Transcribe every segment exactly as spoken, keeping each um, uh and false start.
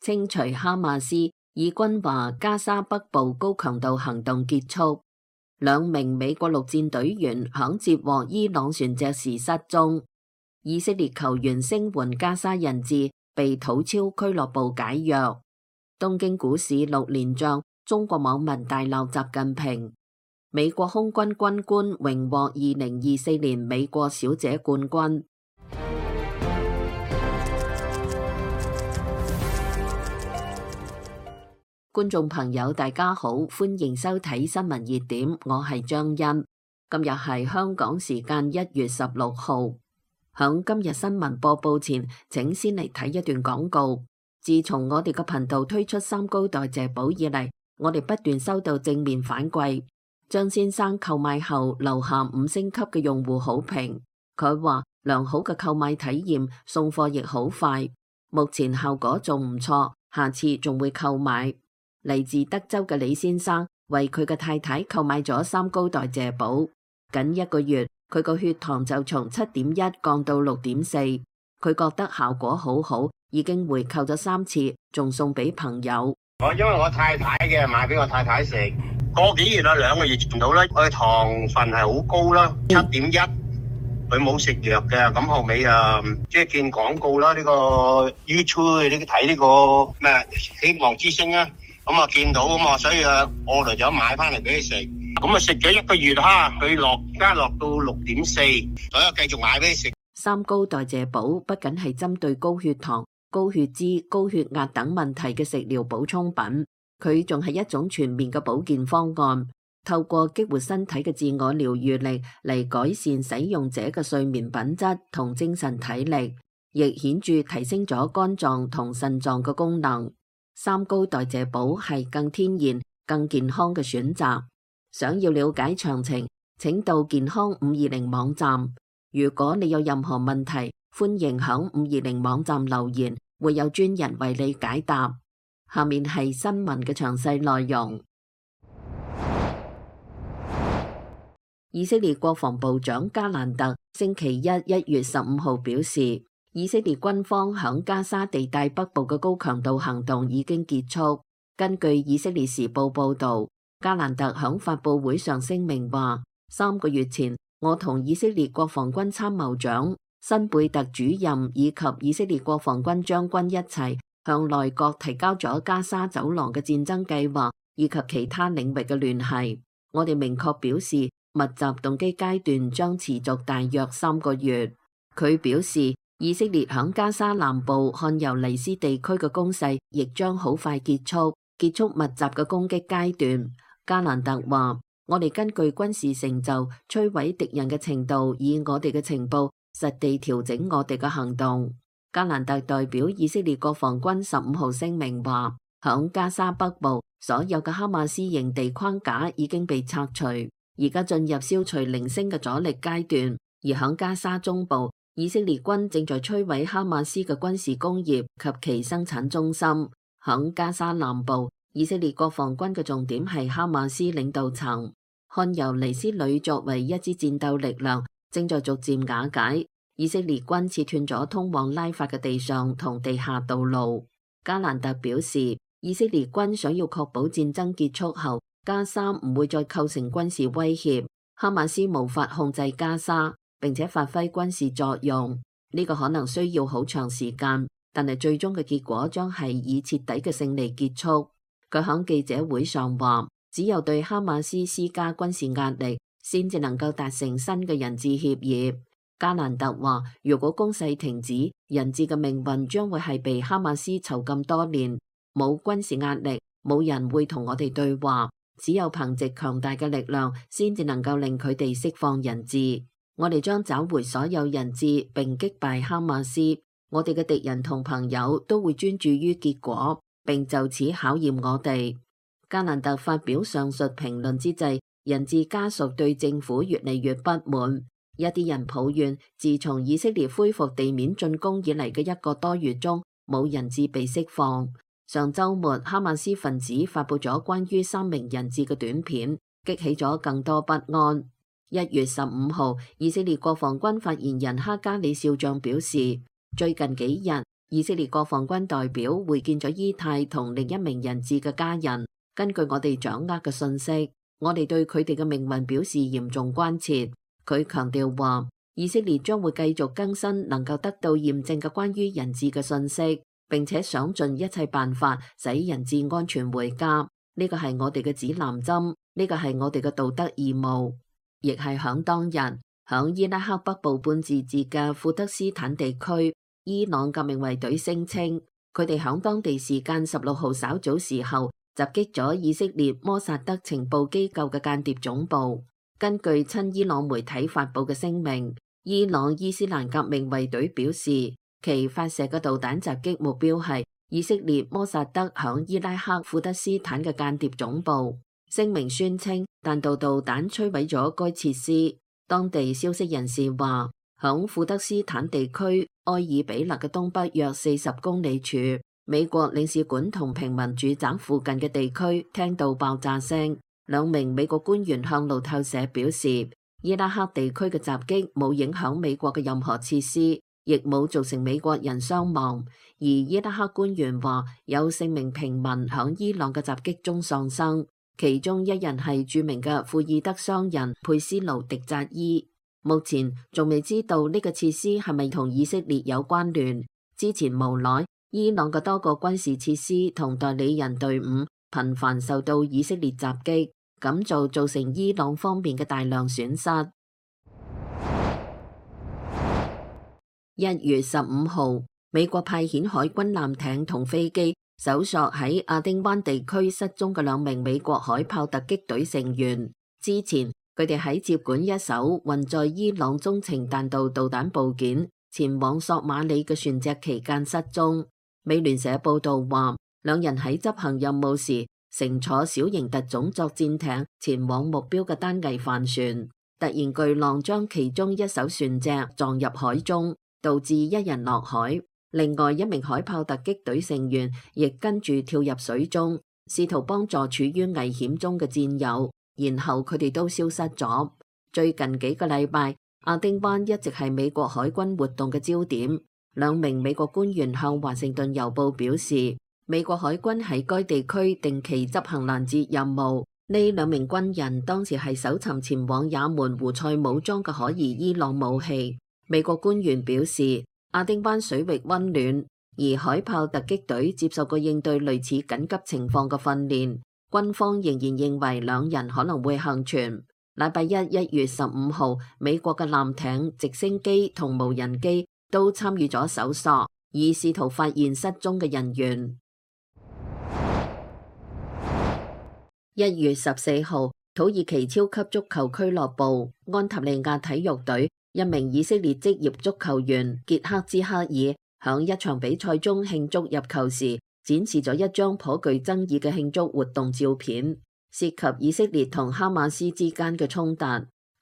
清除哈馬斯。以軍話加沙北部高強度行動結束。兩名美國陸戰隊員響接獲伊朗船隻時失蹤。以色列球員聲援加沙人質被土超俱樂部解約。東京股市六連漲，中國網民大鬧習近平。美國空軍軍官榮獲二零二四年美國小姐冠軍。觀眾朋友大家好，歡迎收睇新聞熱點，我係張欣。今日係香港時間一月十六號。響今日新聞播報前，請先嚟睇一段廣告。自從我哋嘅頻道推出三高代謝寶以嚟，我哋不斷收到正面反饋。張先生購買後留下五星級嘅用戶好評，佢話良好嘅購買體驗，送貨亦好快，目前效果仲唔錯，下次仲會購買。嚟自德州嘅李先生為佢嘅太太購買咗三高代謝寶，僅一個月佢個血糖就從七點一降到六點四，佢覺得效果好好，已經回購咗三次，仲送俾朋友。我因為我太太嘅買俾我太太食，個幾月啦，兩個月前到啦，佢糖分係好高啦，七點一，佢冇食藥嘅，咁後尾啊，即係見廣告啦，呢個 YouTube 呢睇呢個咩希望之星啊。咁啊見到咁啊，所以啊，我嚟咗買翻嚟俾佢食。咁啊食咗一個月哈，佢落加落到六點四，所以繼續買俾佢食。三高代謝寶不僅係針對高血糖、高血脂、高血壓等問題嘅食療補充品，佢仲係一種全面嘅保健方案，透過激活身體嘅自我療愈力嚟改善使用者嘅睡眠品質同精神體力，亦顯著提升咗肝臟同腎臟嘅功能。三高代謝寶係更天然、更健康嘅選擇。想要了解詳情，請到健康五二零網站。如果你有任何問題，歡迎響五二零網站留言，會有專人為你解答。下面係新聞嘅詳細內容。以色列國防部長加蘭特星期一一月十五號表示，以色列軍方響加沙地帶北部嘅高強度行動已經結束。根據以色列時報報道，加蘭特響發佈會上聲明話，三個月前我同以色列國防軍參謀長辛貝特主任以及以色列國防軍將軍一齊向內閣提交咗加沙走廊嘅戰爭計劃以及其他領域嘅聯繫。我哋明確表示，密集動機階段將持續大約三個月。佢表示，以色列響加沙南部漢尤尼斯地區嘅攻勢亦將好快結束，結束密集嘅攻擊階段。加蘭特話，我哋根據軍事成就摧毀敵人嘅程度，以我哋嘅情報實地調整我哋嘅行動。加蘭特代表以色列國防軍十五號聲明話，響加沙北部所有嘅哈馬斯營地框架已經被拆除，而家進入消除零星嘅阻力階段。而響加沙中部，以色列軍正在摧毀哈馬斯嘅軍事工業及其生產中心。響加沙南部，以色列國防軍嘅重點係哈馬斯領導層。漢尤尼斯旅作為一支戰鬥力量，正在逐漸瓦解。以色列軍切斷咗通往拉法嘅地上同地下道路。加蘭特表示，以色列軍想要確保戰爭結束後，加沙唔會再構成軍事威脅，哈馬斯無法控制加沙，並且發揮軍事作用。呢個可能需要好長時間，但係最終嘅結果將係以徹底嘅勝利結束。佢響記者會上話，只有對哈馬斯施加軍事壓力，先至能夠達成新嘅人質協議。加蘭特話，如果攻勢停止，人質嘅命運將會係被哈馬斯囚禁多年。冇軍事壓力，冇人會同我哋對話，只有憑借強大嘅力量，先至能夠令佢哋釋放人質。我哋將找回所有人質，並擊敗哈馬斯。我哋嘅敵人同朋友都會專注於結果，並就此考驗我哋。加蘭特發表上述評論之際，人質家屬對政府越嚟越不滿。一啲人抱怨，自從以色列恢復地面進攻以嚟嘅一個多月中，冇人質被釋放。上週末，哈馬斯分子發佈咗關於三名人質嘅短片，激起咗更多不安。一月十五號，以色列國防軍發言人哈加里少將表示，最近幾日，以色列國防軍代表會見咗伊泰同另一名人質嘅家人。根據我哋掌握嘅信息，我哋對佢哋嘅命運表示嚴重關切。佢強調話，以色列將會繼續更新能夠得到驗證嘅關於人質嘅信息，並且想盡一切辦法使人質安全回家。呢個係我哋嘅指南針，呢個係我哋嘅道德義務。亦係響當日，響伊拉克北部半自治嘅庫德斯坦地區，伊朗革命衛隊聲稱，佢哋響當地時間十六號稍早時候襲擊咗以色列摩薩德情報機構嘅間諜總部。根據親伊朗媒體發佈嘅聲明，伊朗伊斯蘭革命衛隊表示，其發射嘅導彈襲擊目標係以色列摩薩德響伊拉克庫德斯坦嘅間諜總部。聲明宣稱，彈道導彈摧毀咗該設施。當地消息人士話，響庫德斯坦地區埃爾比勒嘅東北約四十公里處，美國領事館同平民住宅附近嘅地區聽到爆炸聲。兩名美國官員向路透社表示，伊拉克地區嘅襲擊冇影響美國嘅任何設施，亦冇造成美國人傷亡。而伊拉克官員話，有四名平民響伊朗嘅襲擊中喪生，其中一人係著名嘅庫爾德商人佩斯盧迪扎伊。目前仲未知道呢個設施係咪同以色列有關聯。之前無奈，伊朗嘅多個軍事設施同代理人隊伍頻繁受到以色列襲擊，咁就造成伊朗方面嘅大量損失。一月十五號，美國派遣海軍艦艇同飛機搜索喺亞丁灣地區失蹤嘅兩名美國海豹突擊隊成員。之前佢哋喺接管一艘運載伊朗中程彈道導彈部件前往索馬里嘅船隻期間失蹤。美聯社報道話，兩人喺執行任務時乘坐小型特種作戰艇前往目標嘅單桅帆船，突然巨浪將其中一艘船隻撞入海中，導致一人落海。另外一名海豹突擊隊成員亦跟住跳入水中，試圖幫助處於危險中嘅戰友，然後佢哋都消失咗。最近幾個禮拜，亞丁灣一直係美國海軍活動嘅焦點。兩名美國官員向華盛頓郵報表示，美國海軍喺該地區定期執行攔截任務。呢兩名軍人當時係搜尋前往也門胡塞武裝嘅可疑伊朗武器。美國官員表示，亞丁灣水域溫暖，而海豹突擊隊接受過應對類似緊急情況嘅訓練。軍方仍然認為兩人可能會幸存。禮拜一一月十五號，美國嘅艦艇、直升機同無人機都參與咗搜索，以試圖發現失蹤嘅人員。一月十四號，土耳其超級足球俱樂部安塔利亞體育隊一名以色列職業足球員傑克茲克爾響一場比賽中慶祝入球時，展示咗一張頗具爭議嘅慶祝活動照片，涉及以色列同哈馬斯之間嘅衝突，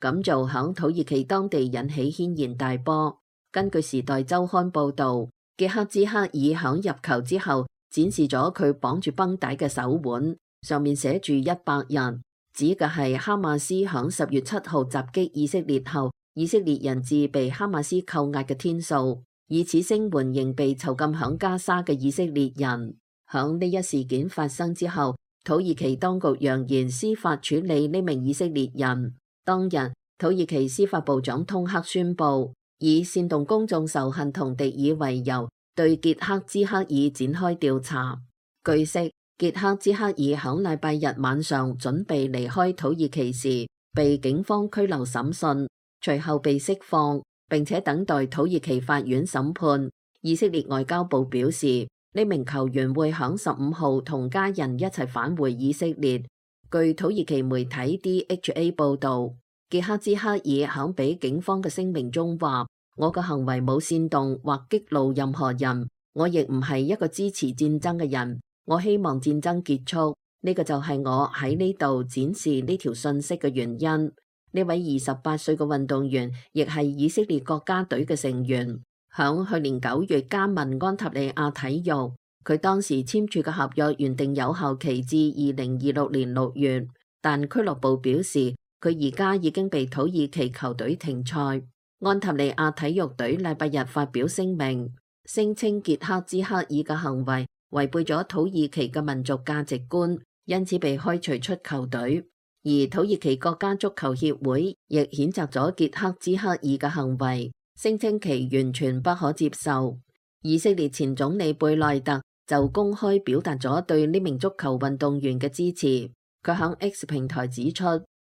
咁就響土耳其當地引起軒然大波。根據時代週刊報道，傑克茲克爾響入球之後展示咗佢綁住繃帶嘅手腕，上面寫住一百日，指嘅係哈馬斯響十月七號襲擊以色列後，以色列人質被哈馬斯扣押嘅天數，以此聲援仍被囚禁響加沙嘅以色列人。響呢一事件發生之後，土耳其當局揚言司法處理呢名以色列人。當日，土耳其司法部長通克宣布，以煽動公眾仇恨同敵意為由，對傑克茲克爾展開調查。據悉，傑克茲克爾響禮拜日晚上準備離開土耳其時，被警方拘留審訊，隨後被釋放，並且等待土耳其法院審判。以色列外交部表示，呢名球員會響十五號同家人一齊返回以色列。據土耳其媒體 D H A 報道，傑克茲克爾響俾警方嘅聲明中話：我嘅行為冇煽動或激怒任何人，我亦唔係一個支持戰爭嘅人。我希望戰爭結束，呢個就係我喺呢度展示呢條信息嘅原因。呢位二十八歲嘅運動員亦係以色列國家隊嘅成員，響去年九月加盟安塔利亞體育。佢當時簽署嘅合約原定有效期至二零二六年六月，但俱樂部表示佢而家已經被土耳其球隊停賽。安塔利亞體育隊禮拜日發表聲明，聲稱傑克茲克爾嘅行為違背咗土耳其嘅民族價值觀，因此被開除出球隊。而土耳其國家足球協會亦譴責咗傑克茲克爾嘅行為，聲稱其完全不可接受。以色列前總理貝內特就公開表達咗對呢名足球運動員嘅支持。佢響 X 平台指出，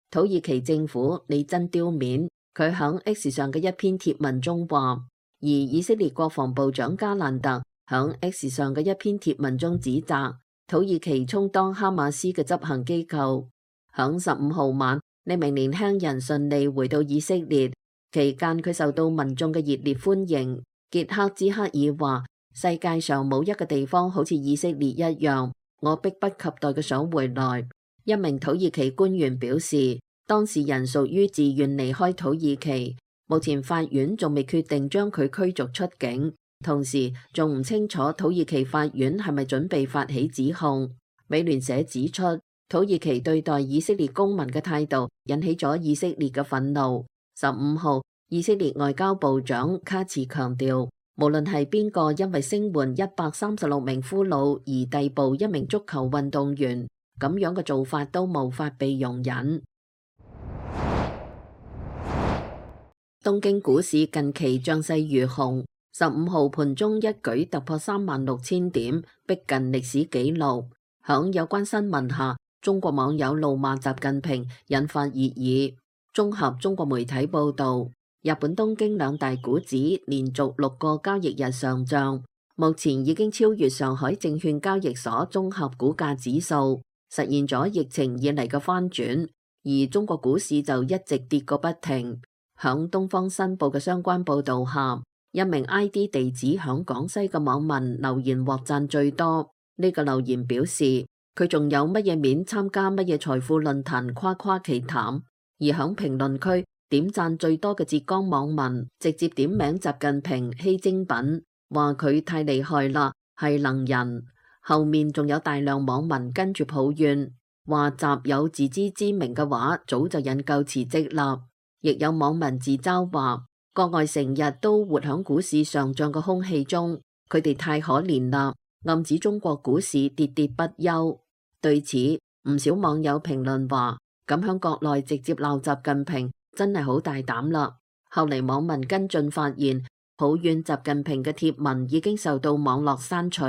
土耳其政府你真丟面。佢響 X 上嘅一篇貼文中話，而以色列國防部長加蘭特響 X 上嘅一篇貼文中指責土耳其充當哈馬斯嘅執行機構。響十五號晚，呢名年輕人順利回到以色列，期間佢受到民眾嘅熱烈歡迎。傑克茲克爾話，世界上冇一個地方好似以色列一樣，我迫不及待嘅想回來。一名土耳其官員表示，當事人屬於自願離開土耳其，目前法院仲未決定將佢驅逐出境，同時仲唔清楚土耳其法院係咪準備發起指控。美聯社指出，土耳其對待以色列公民嘅態度引起咗以色列嘅憤怒。十五號，以色列外交部長卡茨強調，無論係邊個因為聲援一百三十六名俘虜而逮捕一名足球運動員，咁樣嘅做法都無法被容忍。東京股市近期漲勢如虹，十五號盤中一舉突破三萬六千點，逼近歷史紀錄。響有關新聞下，中國網友怒罵習近平，引發熱議。綜合中國媒體報道，日本東京兩大股指連續六個交易日上漲，目前已經超越上海證券交易所綜合股價指數，實現咗疫情以嚟嘅翻轉。而中國股市就一直跌個不停。響東方新報嘅相關報道下，一名 I D 地址響廣西嘅網民留言獲讚最多。呢個留言表示，佢仲有乜嘢面參加乜嘢財富論壇誇誇其談。而響評論區點讚最多嘅浙江網民直接點名習近平稀精品，話佢太厲害啦，係能人。後面仲有大量網民跟住抱怨，話習有自知之明嘅話，早就引咎辭職啦。亦有網民自嘲話，國外成日都活響股市上漲嘅空氣中，佢哋太可憐啦，暗指中國股市喋喋不休。對此，唔少網友評論話，咁響國內直接鬧習近平真係好大膽啦。後嚟網民跟進發現，抱怨習近平嘅貼文已經受到網絡刪除。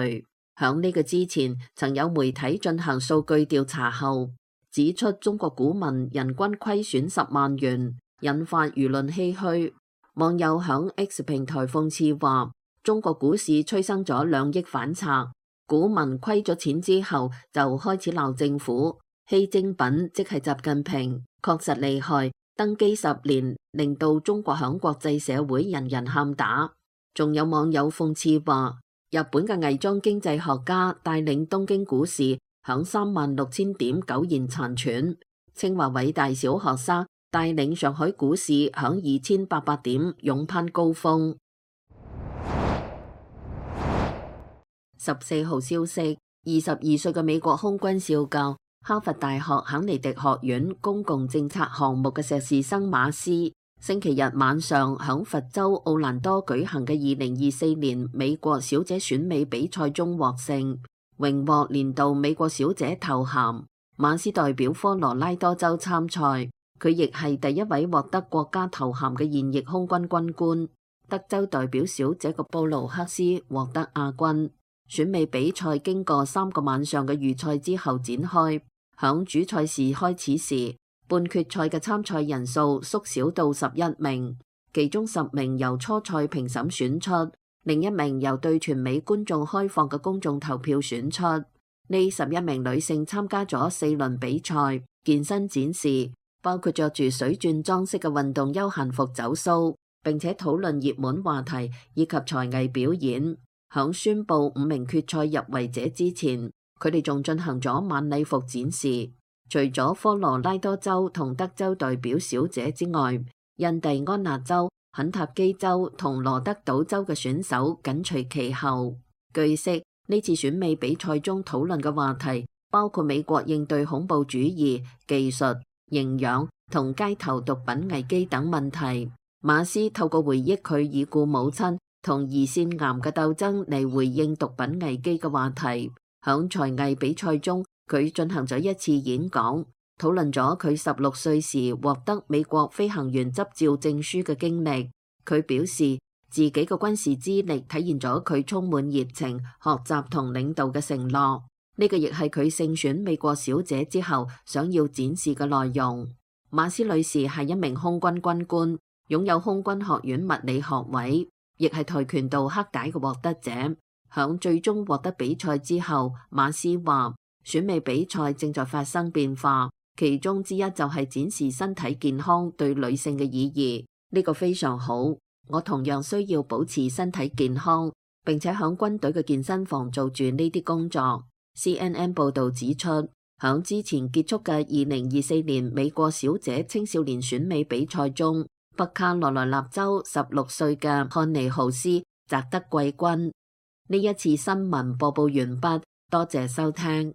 響呢個之前，曾有媒體進行數據調查後，指出中國股民人均虧損十萬元，引發輿論唏噓。網友響 X 平台諷刺話，中國股市催生咗兩億反賊，股民虧咗錢之後就開始鬧政府，稀精品即係習近平，確實厲害，登基十年令到中國響國際社會人人喊打。仲有網友諷刺話，日本嘅偽裝經濟學家帶領東京股市響三萬六千點苟延殘喘，清華偉大小學生帶領上海股市響二千八百點勇攀高峰。十四號消息，二十二歲嘅美國空軍少校，哈佛大學肯尼迪學院公共政策項目嘅碩士生馬斯，星期日晚上響佛州奧蘭多舉行嘅二零二四年美國小姐選美比賽中獲勝，榮獲年度美國小姐頭銜。馬斯代表科羅拉多州參賽。佢亦係第一位獲得國家頭銜嘅現役空軍軍官。德州代表小姐嘅布魯克斯獲得亞軍。選美比賽經過三個晚上嘅預賽之後展開，響主賽事開始時，半決賽嘅參賽人數縮小到十一名，其中十名由初賽評審選出，另一名由對全美觀眾開放嘅公眾投票選出。呢十一名女性參加咗四輪比賽、健身展示，包括着住水鑽裝飾嘅運動休閒服走 show， 並且討論熱門話題以及才藝表演。響宣布五名決賽入圍者之前，佢哋仲進行咗晚禮服展示。除咗科羅拉多州同德州代表小姐之外，印第安納州、肯塔基州同羅德島州嘅選手緊隨其後。據悉，呢次選美比賽中討論嘅話題包括美國應對恐怖主義、技術、營養同街頭毒品危機等問題。馬斯透過回憶佢已故母親同胰腺癌嘅鬥爭嚟回應毒品危機嘅話題。響才藝比賽中，佢進行咗一次演講，討論咗佢十六歲時獲得美國飛行員執照證書嘅經歷。佢表示自己嘅軍事資歷體現咗佢充滿熱情、學習同領導嘅承諾。呢個亦係佢勝選美國小姐之後想要展示嘅內容。馬斯女士係一名空軍軍官，擁有空軍學院物理學位，亦係跆拳道黑帶嘅獲得者。響最終獲得比賽之後，馬斯話選美比賽正在發生變化，其中之一就係展示身體健康對女性嘅意義。呢個非常好，我同樣需要保持身體健康，並且響軍隊嘅健身房做住呢啲工作。C N N 報道指出，響之前結束嘅二零二四年美國小姐青少年選美比賽中，北卡羅來納州十六歲嘅漢尼豪斯摘得季軍。呢一次新聞播報完畢，多謝收聽。